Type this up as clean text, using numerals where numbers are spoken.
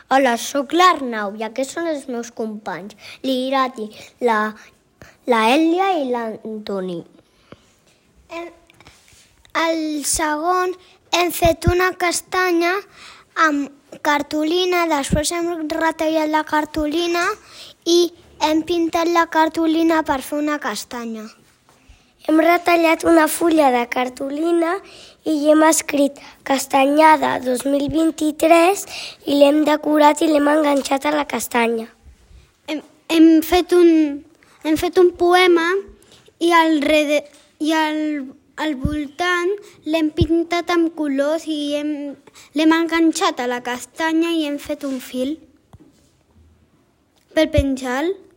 Hola, sóc l'Arnau i aquests són els meus companys, l'Irati, la Èlia i l'Antoni. El segon hem fet una castanya amb cartolina, després hem retallat la cartolina i hem pintat la cartolina per fer una castanya. Hem retallat una fulla de cartolina i hi hem escrit Castanyada 2023 i l'hem decorat i l'hem enganxat a la castanya. Hem fet un poema i al voltant l'hem pintat amb colors i l'hem enganxat a la castanya i hem fet un fil per penjar-lo.